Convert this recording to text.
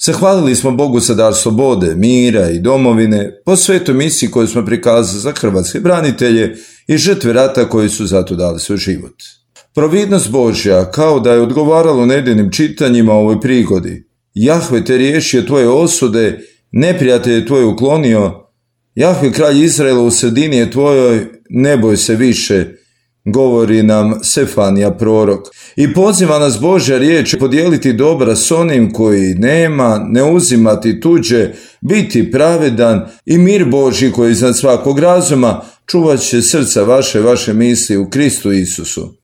Zahvalili smo Bogu za dar slobode, mira i domovine po svetoj misiji koju smo prikazali za hrvatske branitelje i žrtve rata koji su zato dali svoj život. Providnost Božja, kao da je odgovaralo nedeljnim čitanjima o ovoj prigodi. Jahve te riješio tvoje osude, neprijatelj je tvoj uklonio, Jahve kralj Izraela u sredini je tvojoj, ne boj se više, govori nam Sefanija prorok. I poziva nas Božja riječ podijeliti dobra s onim koji nema, ne uzimati tuđe, biti pravedan i mir Božji koji iznad svakog razuma čuvat će srca vaše misli u Kristu Isusu.